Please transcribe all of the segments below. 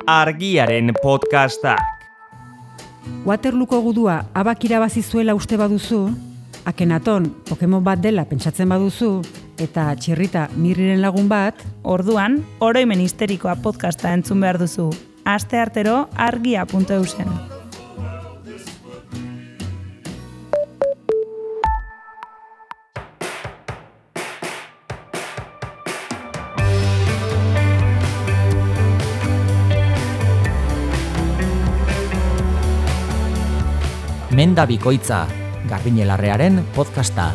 Argiaren podcastak. Waterlooko gudua abak irabazi zuela uste baduzu, Akenaton Pokemon bat dela pentsatzen baduzu, eta Txirrita Mirriren lagun bat, orduan, oroimen histerikoa podcasta entzun behar duzu. Asteartero argia.eusen. Menda bikoitza, Garbiñelarrearen podcasta.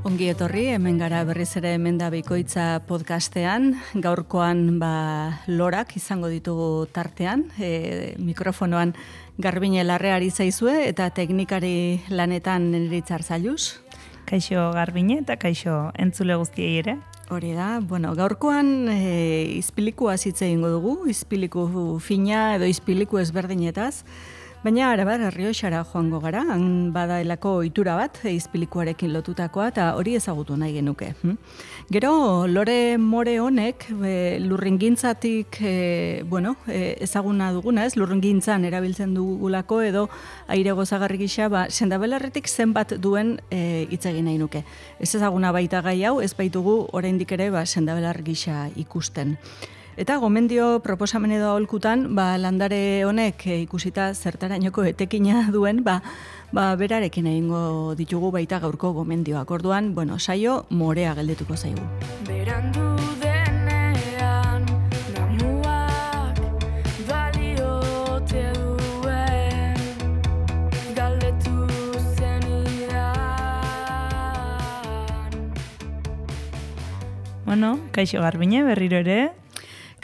Ongi etorri, hemen gara berriz ere Menda bikoitza podcastean. Gaurkoan lorak izango ditugu tartean. Mikrofonoan Garbiñelarre ari zaizue eta teknikari lanetan Neritzar Zailuz. Kaixo Garbine eta kaixo entzule guztiei ere. Hori da, gaurkoan izpiliku hitz egingo dugu, izpiliku fina edo izpiliku ezberdinetaz, baina Arabar Errioxara joango gara, han badaelako ohitura bat izpilikuarekin lotutakoa eta hori ezagutu nahi genuke. Gero, lore more honek lurringintzatik, ezaguna duguna, lurringintzan erabiltzen dugulako edo aire gozagarri gisa, sendabelarretik zenbat duen hitz egin nahi nuke. Ez ezaguna baita gai hau, ez baitugu oraindik ere sendabelar gisa ikusten. Eta gomendio proposamen edo aholkutan, landare honek ikusita zertarainoko etekina duen, berarekin egingo ditugu baita gaurko gomendioak. Orduan, saio morea geldetuko zaigu. Berandu denean, damuak baliote duen, galdetu zenidan. Kaixo Garbine, berriro ere.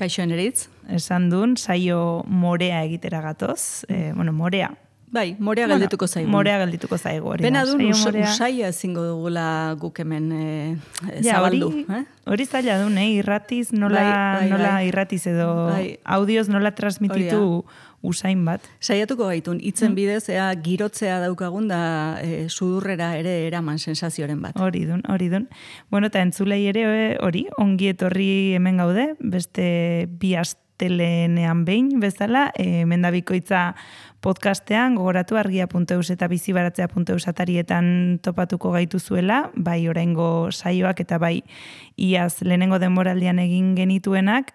Kaixo Neritz. Esan duen, saio morea egitera gatoz. Morea. Bai, morea galdetuko zaigu. Morea galdetuko zaigu. Bena duen usaia ezingo dugula guk hemen zabaldu. Hori zaila duen, irratiz, nola irratiz edo audioz nola transmititu usain bat. Saiatuko gaitun, hitzen bidez, girotzea daukagun da sudurrera ere eraman sensazioren bat. Hori dun. Eta entzulei ere hori, ongi etorri hemen gaude, beste bi astelenean behin bezala, Menda bikoitza podcastean, gogoratu argia.eus eta bizibaratzea.eus atarietan topatuko gaituzuela, bai oraingo saioak eta bai iaz lehenengo denboraldian egin genituenak,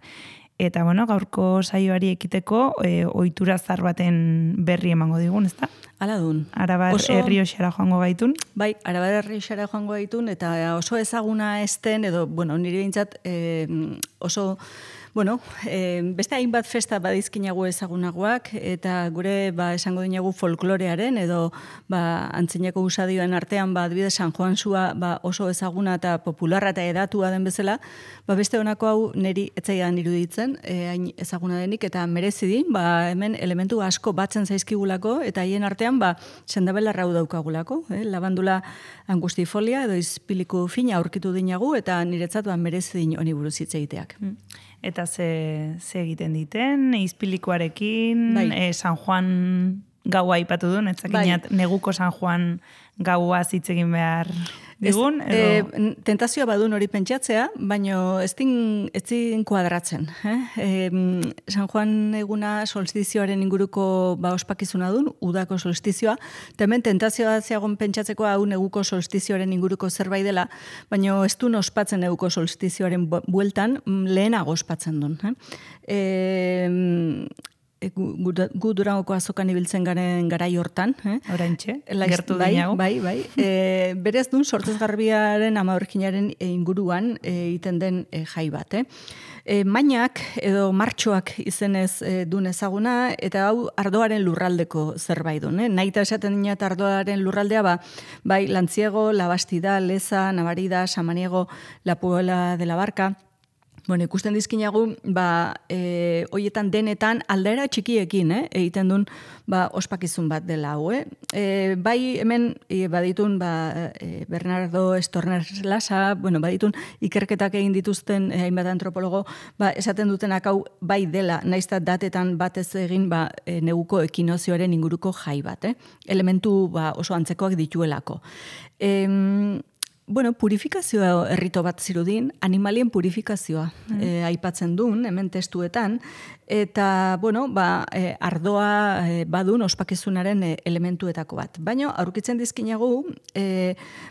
eta gaurko saioari ekiteko ohitura zar baten berri emango digun, ezta? Hala dun. Arabar Errioxara joango gaitun. Bai, Arabar Errioxara joango gaitun, eta oso ezaguna esten, edo, nire bintzat oso... beste hainbat festa badizkinagu ezagunagoak, eta gure esango dinagu folklorearen, edo antzineko usadioen artean, adibidez San Juan Sua oso ezaguna eta popularra eta edatua den bezala, beste honako hau niri etzaidan iruditzen, hain ezaguna denik, eta merezidi, hemen elementu asko batzen zaizkigulako, eta haien artean, sendabelarra hau daukagulako, labandula angustifolia, edo izpiliku fina aurkitu dinagu, eta niretzat merezidin honi buruz hitz egiteak. Eta ze egiten diten, izpilikuarekin, San Juan gaua aipatu duen, etzakinat neguko San Juan gaua hitz egin behar digun? Tentazioa badun hori pentsatzea, baina ez din kuadratzen. San Juan eguna solstizioaren inguruko ospakizuna dun, udako solstizioa, hemen tentazioa zeagon pentsatzeko hau neguko solstizioaren inguruko zerbait dela, baina ez dun ospatzen neguko solstizioaren bueltan, lehenago ospatzen dun. Gu Durangoko azokan ibiltzen garen garai hortan. Oraintxe, gertu dinago. Bai. Berez dun, sortzezgarbiaren amaurkinaren inguruan egiten den jai bat. Mainak edo martxoak izenez dun ezaguna, eta hau ardoaren lurraldeko zerbait dun. Naita esaten dina eta ardoaren lurraldea, Lantziego, Labastida, Leza, Navarida, Samaniego, La Puebla de la Barca. Ikusten dizkinagu, hoietan denetan aldaera txikiekin, egiten duen ospakizun bat dela hau. Bai hemen baditun Bernardo Estornes Lasa, baditun ikerketak egin dituzten hainbat antropologo, esaten dutenak hau bai dela, naizta datetan batez egin neguko ekinozioaren inguruko jai bat. Elementu oso antzekoak dituelako. bueno, purifikazioa errito bat zirudin, animalien purifikazioa aipatzen duen, hemen testuetan, eta, bueno, ardoa badun ospakizunaren elementuetako bat. Baina, aurkitzen dizkinagu,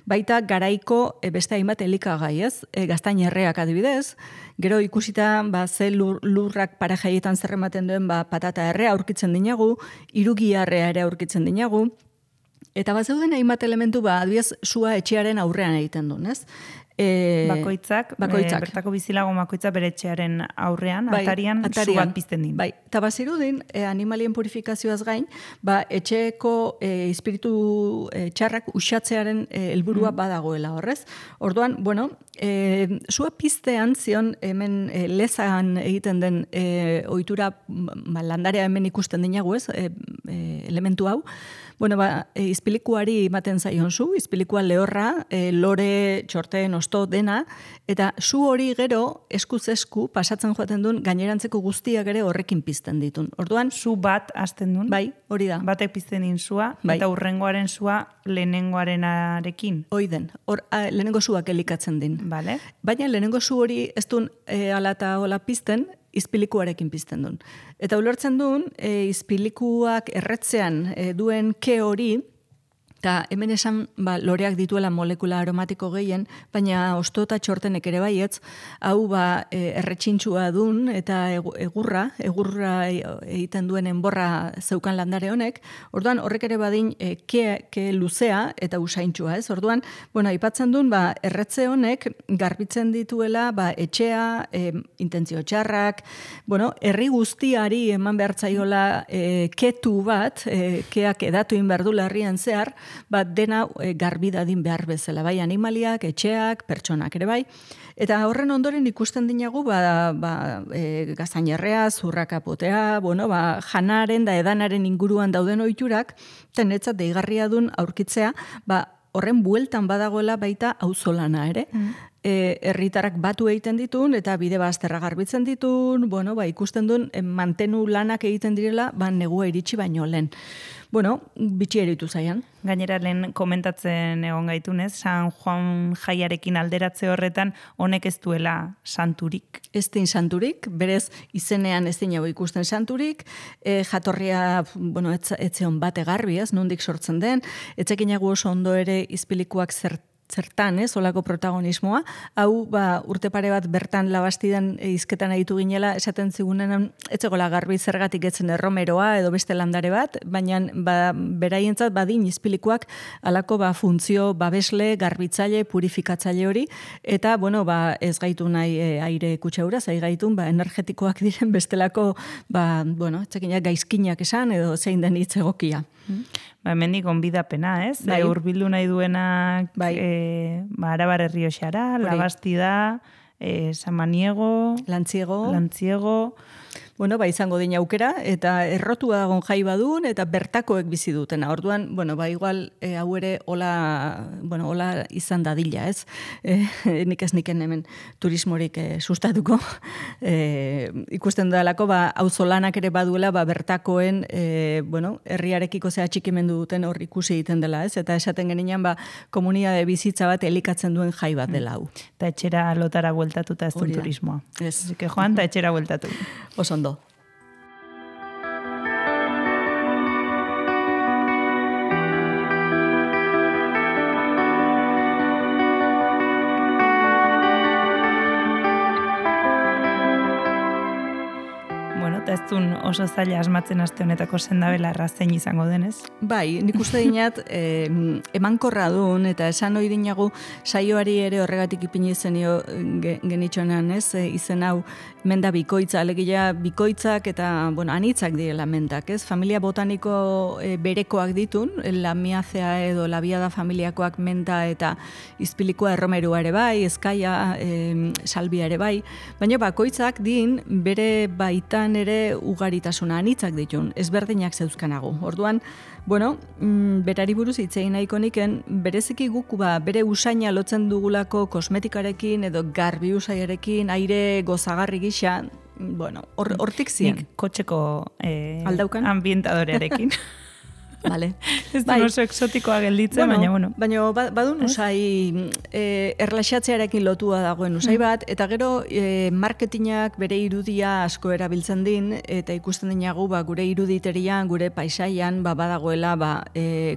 baita garaiko beste hainbat elikagai, ez? Gaztainerreak adibidez, gero ikusita, ze lurrak parajaietan zerrematen duen, patata errea aurkitzen dinagu, irugiarrea ere aurkitzen dinagu, eta zeuden hainbat elementu, adibidez, sua etxearen aurrean egiten duen, ez? Bakoitzak. Bertako bizilago bakoitzak bere etxearen aurrean, atarian, su bat pizten din. Bai, eta bazirudin, animalien purifikazioaz gain, etxeko espiritu txarrak usatzearen helburua badagoela horrez. Orduan, bueno, sua piztean zion hemen lezan egiten den ohitura landarea hemen ikusten dinagu, ez? Elementu hau. Bueno, izpilikuari ematen zaion zu, izpilikua lehorra, lore, txorten, osto, dena, eta zu hori gero eskuz esku pasatzen joaten duen gainerantzeko guztiak ere horrekin pizten ditun. Orduan, zu bat hasten duen? Bai, hori da. Batek pizten din zua, eta urrengoaren zua lehenengoarenarekin? Oiden, lehenengo zuak elikatzen din. Vale. Baina lehenengo zu hori ez duen ala eta hola pizten, izpilikuarekin pizten duen. Eta ulertzen duen, izpilikuak erretzean duen ke hori, eta hemen esan loreak dituela molekula aromatiko gehien, baina osto eta txortenek ere baietz, hau erretxintxua dun eta egurra egiten duen enborra zeukan landare honek, orduan horrek ere badin ke luzea eta usaintxua, ez? Orduan, bueno, aipatzen duen, erretze honek garbitzen dituela etxea, intentzio txarrak, bueno, herri guztiari eman behartzaiola ketu bat, keak edatu inberdula herrian zehar, dena garbi dadin behar bezala, bai animaliak, etxeak, pertsonak ere bai. Eta horren ondoren ikusten dinagu, gaztainerrea, zurrakapotea, bueno, janaren da edanaren inguruan dauden ohiturak, tenetzat deigarria dun aurkitzea, horren bueltan badagoela baita auzolana ere. Herritarrak batu egiten ditun, eta bide bazterra garbitzen ditun, bueno, ikusten duen mantenu lanak egiten direla, negua iritsi baino lehen. Bueno, bitxi eritu zaian. Gainera lehen komentatzen egon gaitunez, San Juan jaiarekin alderatze horretan, honek ez duela santurik. Ez din santurik, berez izenean ez dinago ikusten santurik, jatorria, bueno, etzeon bate garbi, ez, nondik sortzen den, etzekinago oso ondo ere izpilikuak zertan, olako protagonismoa. Hau, urte pare bat bertan labastidan izketan aditu ginela, esaten zigunenan, etzegola garbi zergatik etzen erromeroa edo beste landare bat, baina beraientzat badin izpilikuak alako funtzio babesle, garbitzaile, purifikatzaile hori, eta, bueno, ez gaitu nahi aire kutsaura, zai gaitun, energetikoak diren bestelako, bueno, etzekinak gaizkinak esan, edo zein den hitz egokia. Hemendik onbidapena, ez? Hurbildu nahi duenak Arabar Errioxara, Labastida, Samaniego, Lantziego. Bueno, izango dina aukera, eta errotua dagoen jai badun, eta bertakoek bizi dutena. Orduan, bueno, igual hau ere hola izan dadila, ez? Nik ez niken hemen turismorik sustatuko. Ikusten dudalako, auzolanak ere baduela, bertakoen, herriarekiko zea txikimendu duten hor ikusi egiten dela, ez? Eta esaten geninean, komunitate bizitza bat elikatzen duen jai bat dela hau. Eta etxera lotara bueltatuta ez duen turismoa. Ez. Eke joan, eta etxera bueltatu. Osondo. Eta ez duen oso zaila asmatzen aste honetako sendabela errazein izango denez. Bai, nik uste dinat emankorra duen, eta esan hori dinagu saioari ere horregatik ipini zenio genitxonan, ez? Izen hau menda bikoitza, alegia bikoitzak eta, bueno, anitzak direla mendak, ez? Familia botaniko berekoak ditun, lamiazea edo labiada familiakoak menta eta izpilikoa erromerua ere bai, ezkaia, salbia ere bai, baina bakoitzak din bere baitan ere ugaritasuna anitzak ditun, ezberdinak zeuzkanago. Orduan, bueno, berari buruz hitz egin nahiko niken, bereziki guk bere usaina lotzen dugulako kosmetikarekin edo garbi usaiarekin, aire gozagarri gisa, bueno, hortik ziren. Nik kotxeko ambientadorearekin. Vale. Ez du oso exotikoa gelditzen, baina badun usai erlaxatzearekin lotua dagoen usai bat, eta gero marketingak bere irudia asko erabiltzen din, eta ikusten dinagu gure iruditerian, gure paisaian, badagoela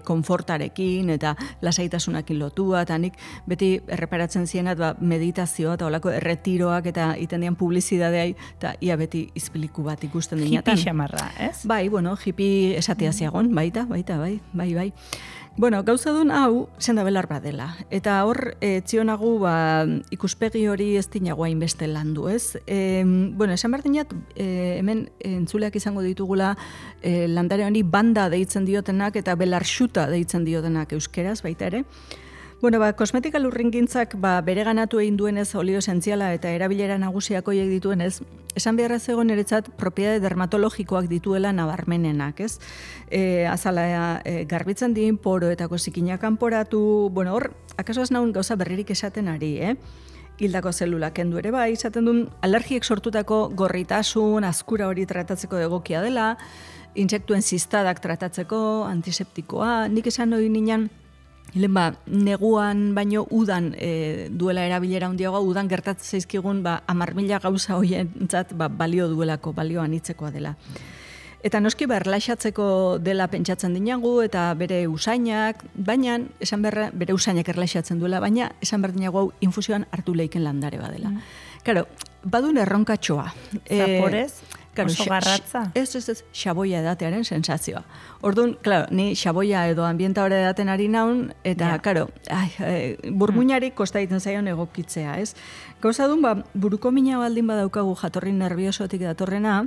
konfortarekin eta lasaitasunakin lotua, eta nik beti erreparatzen zienat meditazioa eta olako erretiroak eta iten dian publizidadeai, eta ia beti izpiliku bat ikusten dinatan. Hippie xamarra, ez? Bai, hippie esatea ziagon, bai. Bueno, gauza duen hau senda belar badela. Eta hor, txionagu ikuspegi hori ez dinagoa inbeste landu, ez? Esan behar dinat, hemen entzuleak izango ditugula landare honi banda deitzen diotenak eta belarxuta deitzen diotenak euskeraz, baita ere. Kosmetika lurringintzak bere ganatu egin duenez olio esentziala eta erabilera nagusiak hoiek dituenez, esan beharra zegoen eretzat propiedade dermatologikoak dituela nabarmenenak, ez? Azala garbitzen din, poroetako zikinak kanporatu, hor, akaso ez naun gauza berririk esaten ari, hildako zelulak kendu ere bai, izaten duen alergiek sortutako gorritasun, azkura hori tratatzeko egokia dela, intsektuen zistadak tratatzeko, antiseptikoa, nik esan hori ninan, neguan baino udan duela erabilera handiagoa, udan gertatzen zaizkigun 10.000 gauza hoientzat balio duelako, balio anitzekoa dela. Eta noski erlaxatzeko dela pentsatzen dinagu, eta bere usainak, baina, bere usainak erlaxatzen duela, baina esan behar dinagu hau infusioan hartu leiken landare badela. Karo, badun erronkatxoa. Zaporez? Oso garratza? Ez, xaboia edatearen sensazioa. Orduan, ni xaboia edo ambienta hori edaten ari naun, eta, burmuinari kosta egiten zaion egokitzea, ez? Gauza dun, buruko mina baldin badaukagu jatorri nerviosotik datorrena,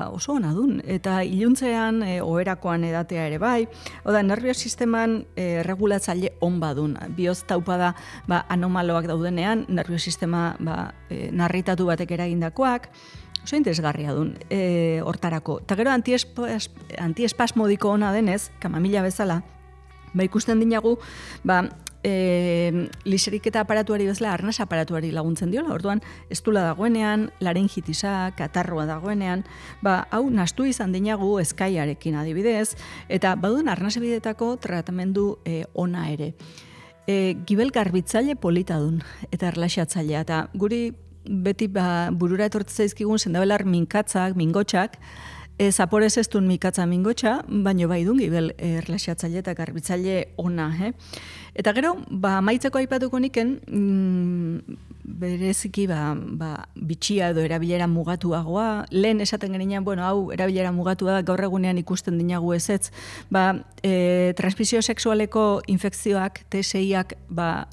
oso ona dun, eta iluntzean, oherakoan edatea ere bai, oda, nervio sisteman regulatzaile on badun, bioz taupada anomaloak daudenean, nervio sistema narritatu batek eragindakoak, oso interesgarria dun hortarako. Eta gero antiespasmodiko ona denez, kamamila bezala, ikusten dinagu, liserik eta aparatuari bezala, arnas aparatuari laguntzen diola, orduan, estula dagoenean, laringitisa, katarroa dagoenean, hau nastu izan dinagu eskaiarekin adibidez, eta baduen arnasebidetako tratamendu ona ere. Gibel garbitzaile polita dun, eta erlaxatzailea, eta guri beti burura etortzen zaizkigun sendabelar minkatzak, mingotxak, zaporez ez duen minkatza mingotxa, baino bai dun gibel erlaxatzaile eta garbitzaile ona. Eta gero, maitzeko aipatuko niken, bereziki bitxia edo erabilera mugatuagoa, lehen esaten geninean, hau erabilera mugatua da, gaur egunean ikusten dinagu ezetz, transmisio sexualeko infekzioak, TSI-ak,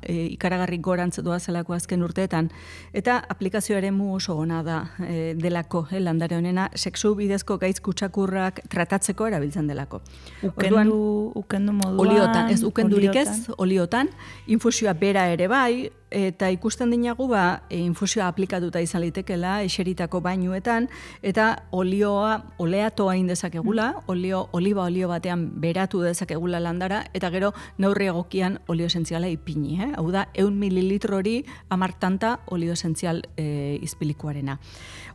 ikaragarrik gorantz doazelako azken urteetan, eta aplikazio eremu oso ona da delako, landare honena, sexu bidezko gaitz kutsakurrak tratatzeko erabiltzen delako. Ukendu moduan? Oliotan, ez ukendurik ez, oliotan, infusioa bera ere bai, eta ikusten dinagu infusioa aplikatuta izan litekela eseritako bainuetan, eta oleatoa indezakegula, oliba olio batean beratu dezakegula landara, eta gero neurri egokian olio esentziala ipini. Hau da, 100 mililitro hori 10 tanta olio esentzial izpilikuarena.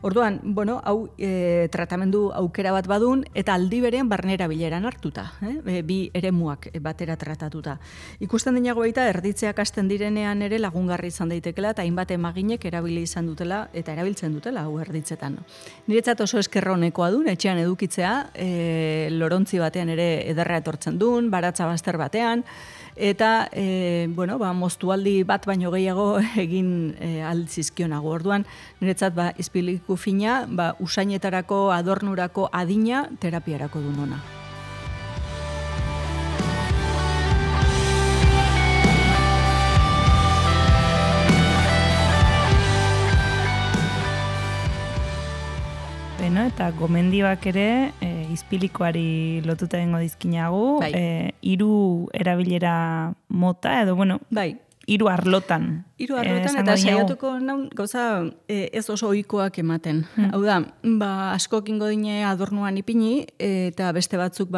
Orduan, hau tratamendu aukera bat badun, eta aldi berean barnera bileran hartuta, bi eremuak batera tratatuta. Ikusten dinago baita, erditzeak hasten direnean ere lagungarri izan daitekela, eta hainbat emaginek erabili izan dutela, eta erabiltzen dutela, hau erditzetan. Niretzat oso eskerronekoa dun, etxean edukitzea, lorontzi batean ere ederra etortzen dun, baratza bazter batean, eta moztualdi bat baino gehiago egin altzizkionago. Orduan, niretzat izpiliku fina, usainetarako, adornurako, adina, terapiarako dun ona. Eta gomendioak ere izpilikoari lotuta dengo dizkinagu, 3 erabilera mota, edo, bai. 3 arlotan. 3 arlotan, eta saiatuko naun gauza ez oso ohikoak ematen. Hau da, askok ingo dine adornuan ipini, eta beste batzuk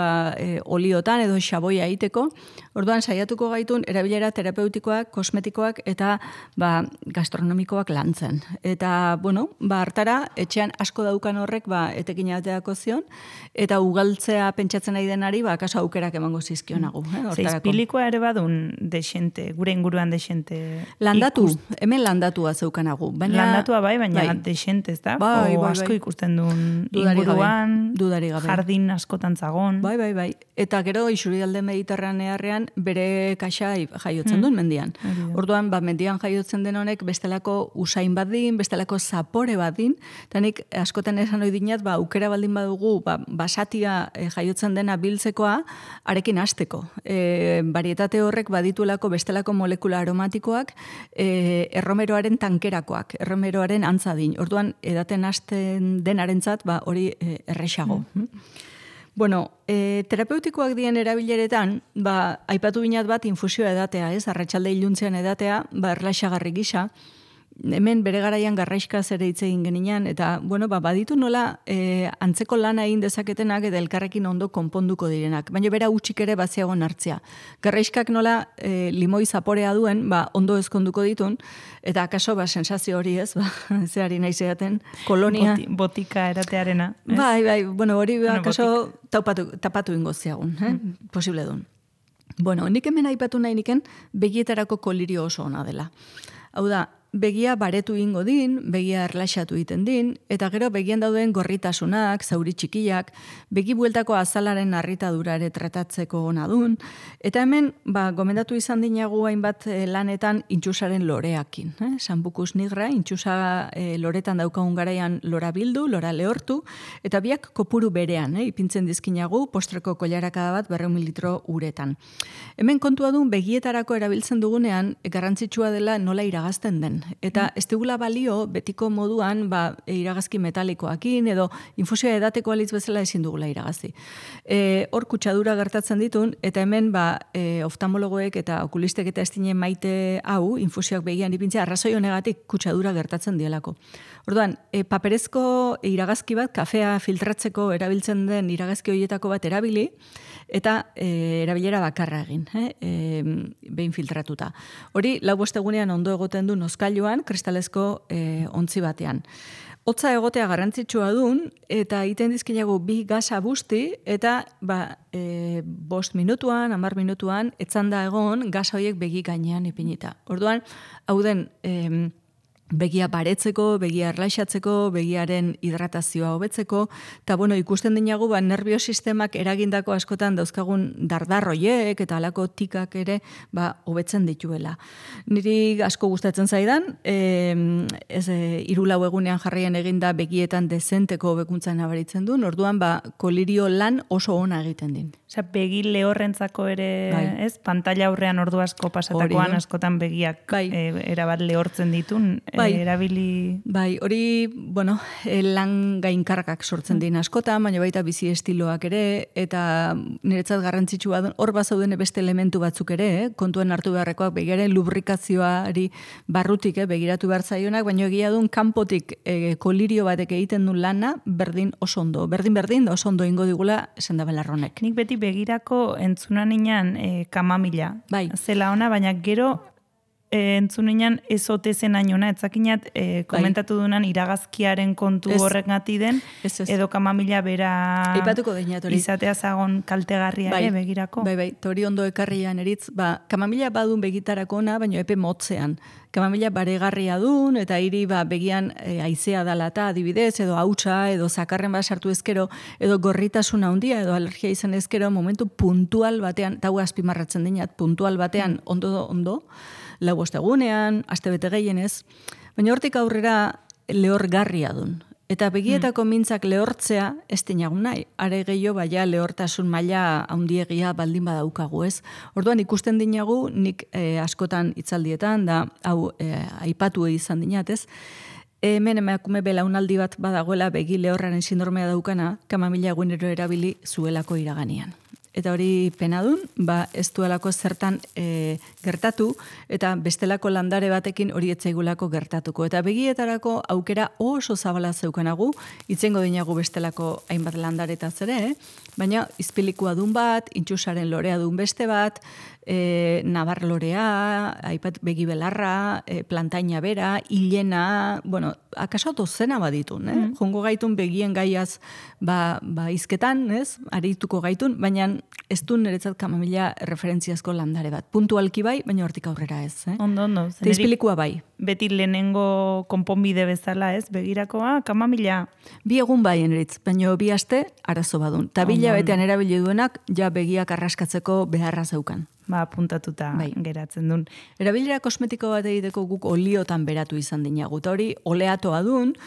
oliotan edo xaboia egiteko. Orduan saiatuko gaitun erabilera terapeutikoak, kosmetikoak eta gastronomikoak lantzen. Eta, hartara, etxean asko daukan horrek etekin ateako zion, eta ugaltzea pentsatzen nahi denari, kaso aukerak emango zizkionagu. Izpilikoa ere badun desente, gure inguruan desente. Landatu, hemen landatua zeukanagu. Landatua baina desente, ez da? Asko ikusten duen inguruan, jardin askotan zagon. Bai. Eta gero, isurialde mediterranearrean bere kaxa jaiotzen duen mendian. Orduan, mendian jaiotzen den honek bestelako usain bat din, bestelako zapore bat din, eta nik askotan esan hori dinat, aukera baldin badugu, basatia jaiotzen dena biltzekoa, arekin hasteko. Varietate horrek badituelako bestelako molekula aromatikoak, erromeroaren tankerakoak, erromeroaren antzadin. Orduan, edaten hasten denarentzat, hori erresago. Terapeutikoak dien erabileretan, aipatu binat bat infusioa edatea, arratsalde iluntzean edatea, erlaxagarri gisa, hemen bere garaian garraiskaz ere hitz egin genian, eta, baditu nola antzeko lana egin dezaketenak eta elkarrekin ondo konponduko direnak. Baina bera utxik ere baziagon hartzea. Garraiskak nola limoi zaporea duen, ondo ezkonduko ditun, eta akaso sensazio hori ez, zeari nahi zeaten, kolonia. Botika eratearena. Bai, hori akaso tapatu ingo ziagun, posible duen. Nik hemen aipatu nahi niken begietarako kolirio oso ona dela. Hau da, begia baretu ingo din, begia erlaxatu egiten din, eta gero begian dauden gorritasunak, zauri txikiak, begi bueltako azalaren harritadura ere tratatzeko ona dun, eta hemen, gomendatu izan dinagu hainbat lanetan intxusaren loreakin. Sambucus nigra, intxusa loretan daukagun garaian lora bildu, lora lehortu, eta biak kopuru berean, ipintzen dizkinagu postreko koilarakada bat 200 mililitro uretan. Hemen kontua dun begietarako erabiltzen dugunean, garrantzitsua dela nola iragazten den. Eta ez dugula balio betiko moduan iragazki metalikoakin edo infusioa edateko alitz bezala ezin dugula iragazi. Hor kutsadura gertatzen ditun, eta hemen oftalmologoek eta okulistek eta estinen maite hau, infusioak begian ipintzea, arrazoi honegatik kutsadura gertatzen dielako. Orduan, paperezko iragazki bat, kafea filtratzeko erabiltzen den iragazki horietako bat erabili, eta erabilera bakarra egin, behin filtratuta. Hori, 4 egunean ondo egoten du noskailuan, kristalezko ontzi batean. Hotza egotea garrantzitsua dun, eta egiten dizkinago 2 gasa busti, eta 5 minutuan, 10 minutuan, etzanda egon gasa horiek begi gainean ipinita. Orduan, hau den begia baretzeko, begia erlaxatzeko, begiaren hidratazioa hobetzeko, eta ikusten dinagu nerviosistemak eragindako askotan dauzkagun dardarroiek eta alako tikak ere hobetzen dituela. Niri asko gustatzen zaidan, 3-4 egunean jarraian eginda begietan dezenteko hobekuntzan nabaritzen duen, orduan kolirio lan oso ona egiten din. Begi lehorrentzako ere, ez? Pantalla aurrean ordu asko pasatakoan askotan begiak erabat lehortzen ditun, erabili... Hori, lan gainkargak sortzen din askotan, baina baita bizi estiloak ere, eta niretzat garrantzitsua hor bazauden beste elementu batzuk ere, kontuen hartu beharrekoak begiaren lubrikazioari barrutik begiratu behar zaionak, baina egia duen kanpotik kolirio batek egiten duen lana, berdin oso ondo. Berdin da oso ondo ingo digula esan da belarronek. Nik beti begirako entzunan inan kamamila. Zela ona, baina gero entzunean ezote zen ainona, etzakinat komentatu dunan iragazkiaren kontu horrek gati den, edo kamamila bera izatea zagon kaltegarria ere begirako. Tori ondo ekarrian eritz, kamamila badun begitarako ona, baina epe motzean. Kamamila baregarria dun, eta hiri begian haizea dalata adibidez, edo hautsa, edo zakarren sartu ezkero, edo gorritasuna handia, edo alergia izan ezkero, momentu puntual batean, eta azpimarratzen dinat, puntual batean ondo, 5 egunean, astebete gehienez, baina hortik aurrera lehorgarria dun. Eta begietako mintzak lehortzea ez dinagun nahi. Are gehiago lehortasun maila handiegia baldin badaukagu, ez? Orduan ikusten dinagu, nik askotan hitzaldietan, da hau aipatu izan dinat, ez? Hemen emakume belaunaldi bat badagoela begi lehorraren sindromea daukana, kamamila egunero erabili zuelako iraganean. Eta hori pena dun, ez duelako zertan gertatu, eta bestelako landare batekin hori etzaigulako gertatuko. Eta begietarako aukera oso zabala zeukanagu, itzengo dinagu bestelako hainbat landaretaz ere, baina izpilikua dun bat, intxusaren lorea dun beste bat, nabarlorea, aipat begibelarra, plantaina bera, hilena, bueno, akaso dozena baditun, jongo gaitun begien gaiaz izketan, ez? Arituko gaitun, baina ez du niretzat kamamila referentziazko landare bat. Puntualki bai, baina hortik aurrera ez. Ondo. Eta izpilikua bai. Beti lehenengo konponbide bezala, ez? Begirakoa, kamamila. 2 egun bai eneritz, baina 2 aste arazo badun. Ta 2 betean erabili duenak, ja begiak arraskatzeko beharra zeukan. Puntatuta geratzen duen. Erabilera kosmetiko bat egiteko guk oliotan beratu izan dinagu. Eta hori, oleatoa dun,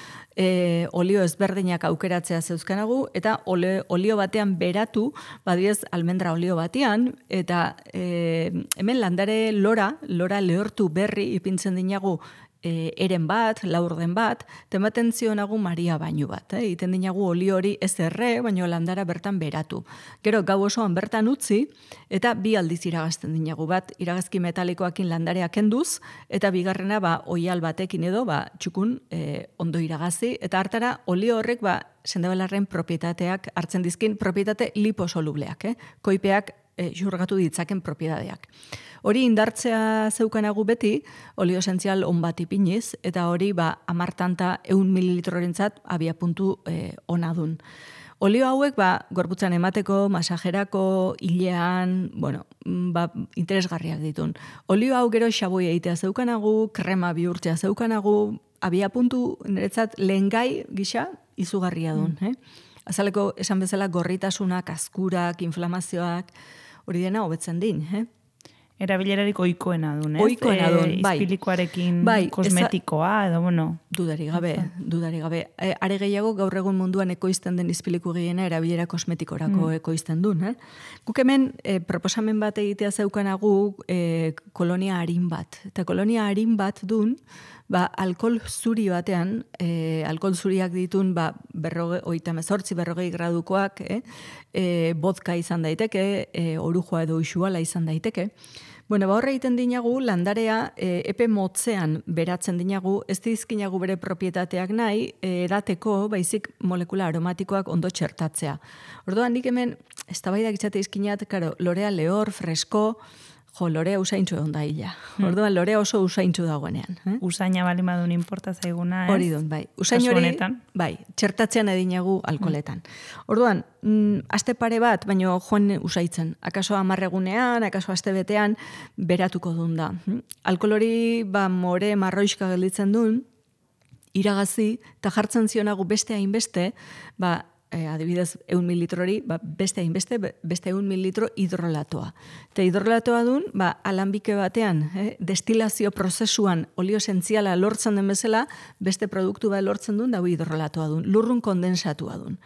olio ezberdinak aukeratzea zeuzkanagu, eta olio batean beratu, badiez almendra olio batean, eta hemen landare lora lehortu berri ipintzen dinagu eren bat, laurden bat, tematen zionagu Maria bainu bat. Iten dinagu olio hori ez erre, baino landara bertan beratu. Gero, gau osoan bertan utzi, eta 2 aldiz iragazten dinagu bat, iragazki metalikoakin landarea kenduz, eta bigarrena oial batekin edo, txukun ondo iragazi, eta hartara olio horrek sendabelarren propietateak hartzen dizkin, propietate liposolubleak, koipeak xurgatu ditzaken propietateak. Hori indartzea zeukanagu beti, olio esentzial on bat ipiniz, eta hori 10 tanta 100 mililitrorentzat abiapuntu ona dun. Olio hauek gorputzan emateko, masajerako, hilean, interesgarriak ditun. Olio hau gero xaboi egitea zeukanagu, krema bihurtzea zeukanagu, abiapuntu niretzat lehengai gisa izugarria dun. Azaleko esan bezala gorritasunak, azkurak, inflamazioak, hori dena hobetzen din. Erabilerarik ohikoena duen, ez? Ohikoena duen, bai. Izpilikoarekin kosmetikoa, edo bueno. Dudarik gabe. Are gehiago gaur egun munduan ekoizten den izpiliku gehiena erabilera kosmetikorako ekoizten duen. Guk hemen proposamen bat egitea zeukanagu kolonia harin bat. Eta kolonia harin bat duen, alkohol zuri batean, alkohol zuriak ditun 40 gradukoak, vodka izan daiteke, orujua edo uxuala izan daiteke. Horre egiten dinagu, landarea epe motzean beratzen dinagu, ez dizkinagu bere propietateak nahi, edateko, baizik molekula aromatikoak ondo txertatzea. Orduan, nik hemen, eztabaidak itzate izkinat, lorea lehor, fresko, lorea usaintxu egon da hila. Orduan, lorea oso usaintxu dagoenean. Usaina bali madun inporta zaiguna, ez? Hori dut, bai. Usain hori, txertatzean edinagu alkoholetan. Orduan, aste pare bat, baino joan usaitzen. Akaso 10 egunean, akaso aste betean, beratuko duen da. Alkohol hori, more marroiska gelditzen duen, iragazi, eta jartzen zionagu beste hainbeste, adibidez, 100 mililitrori, beste hainbeste, beste 100 mililitro hidrolatoa. Eta hidrolatoa duen, alanbike batean, destilazio prozesuan olio esentziala lortzen den bezala, beste produktu bat lortzen duen, dago hidrolatoa duen, lurrun kondensatua duen.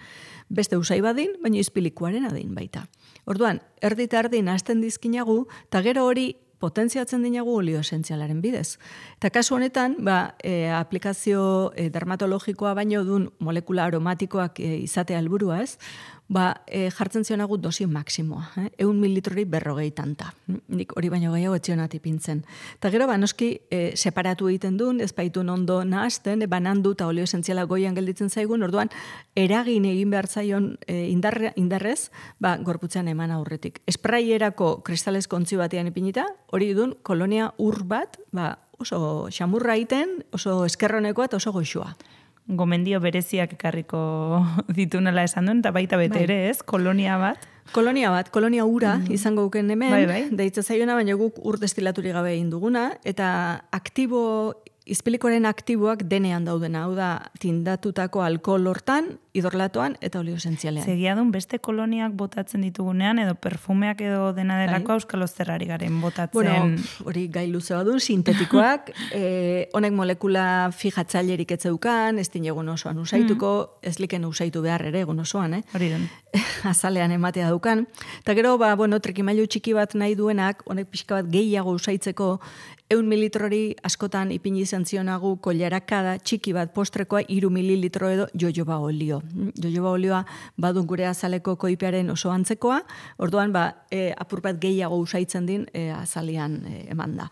Beste usai badin, baina izpilikuaren adin baita. Orduan, erdi eta erdi nahazten dizkinagu, eta gero hori potentziatzen dinagu olio esentzialaren bidez. Eta kasu honetan, aplikazio dermatologikoa baino dun molekula aromatikoak izatea helburua ez, jartzen zionagu dosi maksimoa, 100 mililitrori 40 tanta. Nik hori baino gehiago etxionat ipintzen. Eta gero, noski, separatu egiten duen, ez baitun ondo nahazten, banandu eta olio esentziala goian gelditzen zaigun, orduan, eragin egin behar zaion indarrez, gorputzean eman aurretik. Espraierako kristalesko ontzi batean ipinita, hori duen kolonia ur bat, oso xamurra egiten, oso eskerronekoa eta oso goxua. Gomendio bereziak ekarriko ditunela esan duen, eta baita bete ere, ez? Kolonia bat. Kolonia ura izango guken hemen, deitza zaiona, baina guk ur destilaturik gabe egin duguna, eta izpilikoaren aktiboak denean daudena, hau da, tindatutako alkohol hortan, hidrolatoan eta olio esentzialean. Segia duen beste koloniak botatzen ditugunean, edo perfumeak edo dena delako euskal ozterrari garen botatzen. Bueno, hori gai luze badun, sintetikoak, honek molekula fijatzailerik etzeukan, ez dinegun osoan usaituko, ez liken usaitu behar ere egun osoan, Hori duen. Azalean ematea daukan. Eta gero, trikimailu txiki bat nahi duenak, honek pixka bat gehiago usaitzeko, 100 mililitrori askotan ipini izan zionagu kollarakada txiki bat postrekoa 3 mililitro edo jojoba olio. Jojoba olioa badun gure azaleko koipearen oso antzekoa, orduan apur bat gehiago usaitzen din azalian eman da.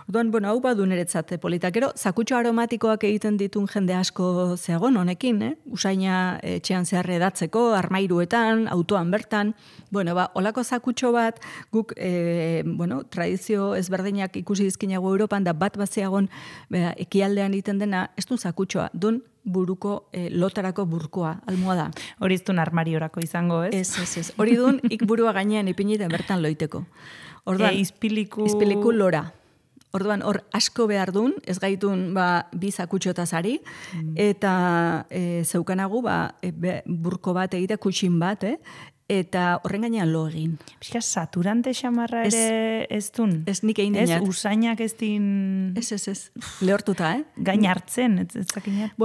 Orduan, hau badu niretzat polita. Gero, zakutxo aromatikoak egiten ditun jende asko zeagon honekin, usaina etxean zehar edatzeko, armairuetan, autoan bertan, olako zakutxo bat, guk, tradizio ezberdinak ikusi dizkinago Europan, da bat baziagon ekialdean egiten dena, ez dun zakutxoa, dun buruko, lotarako burkoa, almohada. Hori iztun armariorako izango, ez? Ez. Hori dun, ik burua gainean ipinita bertan loiteko. Orduan, izpiliku lora. Orduan, hor asko behar dun, ez gaitun bi zakutxotaz ari, eta zeukanagu burko bat egite, kutsin bat, eta horren gainean lo egin. Pixka, saturante xamarra ere ez dun? Ez nik egin dinat. Ez, usainak ez din... Ez. Lehortuta, Gain hartzen, ez zakinat.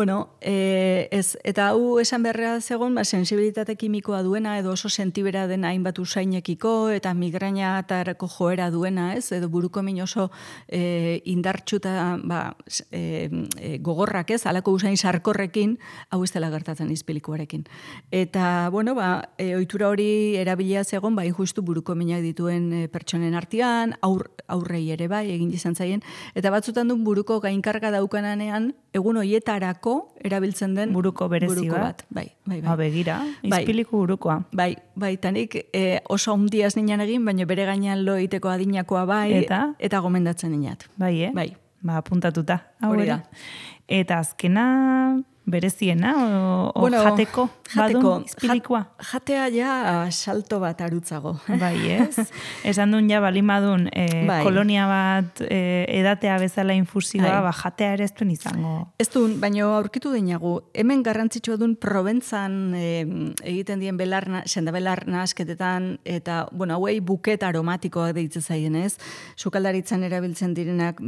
Ez, eta hau esan beharra zegoen, sensibilitate kimikoa duena, edo oso sentibera dena hainbat usainekiko, eta migrainatarako joera duena, ez? Edo buruko min oso indartxuta gogorrak, ez? Halako usain sarkorrekin, hau ez dela gertatzen izpilikuarekin. Eta, ohitura hori erabilia zegoen, justu buruko minak dituen pertsonen artean, aurrei ere egin izan zaien, eta batzutan du buruko gainkarga daukananean, egun hoietarako erabiltzen den buruko berezi bat. Bai. Begira, izpiliku burukoa. Tanik oso handiaz ninan egin, baina bere gainean lo egiteko adinakoa eta gomendatzen ninat. Bai. Apuntatuta. Hori da. Eta azkena... bereziena, o jateko, badun, izpilikoa? Jatea salto bat arutzago. Bai, ez? Esan duen balimadun, kolonia bat edatea bezala infusioa, jatea ere ez duen izango. Ez duen, baina aurkitu dinagu, hemen garrantzitsua duen Proventzan egiten dien sendabelar nahasketetan, eta, hauei buket aromatikoak deitzen zaien, ez? Sukaldaritzan erabiltzen direnak,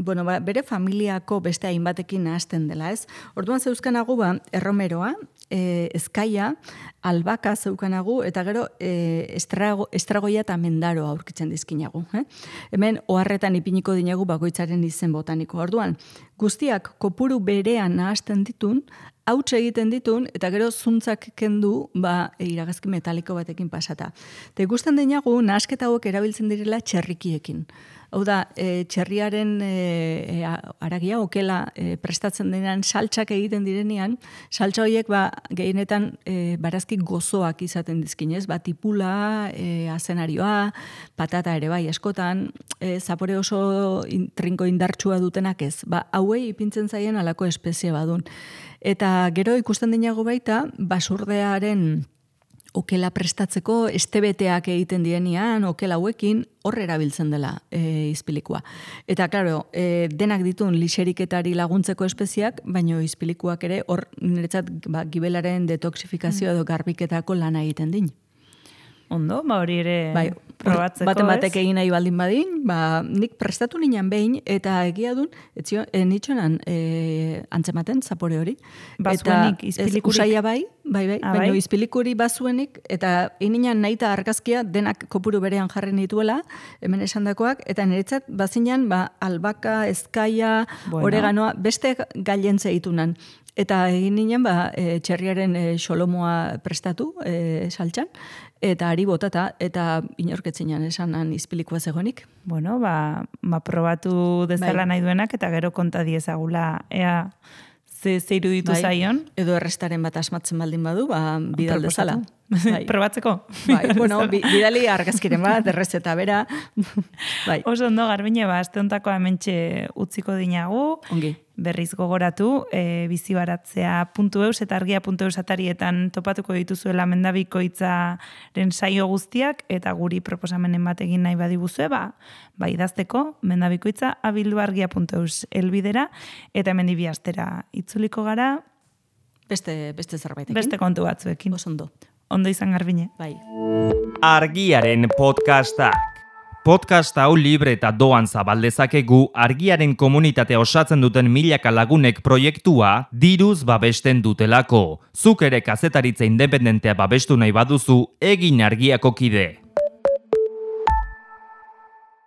bere familiako beste hainbatekin nahasten dela, ez? Orduan zeuzkanagu erromeroa, ezkaia, albaka zeukanagu, eta gero estragoia eta mendaroa aurkitzen dizkinagu. Hemen oharretan ipiniko dinagu bakoitzaren izen botaniko. Orduan, guztiak kopuru berean nahasten ditun, hauts egiten ditun, eta gero zuntzak kendu iragazki metaliko batekin pasata. Eta ikusten dinagu, nahasketa hauek erabiltzen direla txerrikiekin. Hau da, txerriaren aragia, okela prestatzen denean, saltsak egiten direnean, saltsa horiek gehienetan barazki gozoak izaten dizkinez, tipula, azenarioa, patata ere askotan, zapore oso trinko indartsua dutenak ez. Hauei ipintzen zaien alako espezie badun. Eta gero ikusten dinago baita, basurdearen okela prestatzeko, estebeteak egiten dienean, okela hauekin, hor erabiltzen dela izpilikoa. Eta, klaro, denak ditun lixeriketari laguntzeko espeziak, baino izpilikoak ere, hor niretzat gibelaren detoxifikazio edo garbiketako lana egiten din. Ondo, hori ere probatzeko, baten batek egin nahi baldin badin, nik prestatu ninan behin, eta egia dun, nitxonan antzematen, zapore hori. Bazuenik, izpilikurik? Usaia baina izpilikuri bazuenik, eta ininan nahi eta argazkia denak kopuru berean jarri nituela, hemen esandakoak, eta niretzat bazinan, albaka, ezkaia, oreganoa, beste gailentze ditunan. Eta egin ninen, txerriaren xolomoa prestatu, saltxan, eta ari botata, eta inorketzinan esanan izpilikoa zegoenik. Probatu dezala nahi duenak, eta gero konta diezagula, ea ze iruditu zaion. Edo errestaren bat asmatzen baldin badu, bidal dezala. Probatzeko? Bidali argazkiren bat, errezeta bera. Oso ondo, Garbine, azte hontako hementxe utziko dinagu. Ongi. Berriz gogoratu, bizibaratzea.eus eta argia.eus atarietan topatuko dituzuela mendabikoitzaren saio guztiak, eta guri proposamenen bat egin nahi badibuzue, idazteko mendabikoitza@argia.eus elbidera, eta hemen bi astera itzuliko gara. Beste zerbaitekin. Beste kontu batzuekin. Osondo. Ondo izan, Garbine. Argiaren podcastak. Podcast hau libre eta doan zabaldezakegu Argiaren komunitatea osatzen duten milaka lagunek proiektua diruz babesten dutelako. Zuk ere kazetaritza independentea babestu nahi baduzu, egin Argiako kide.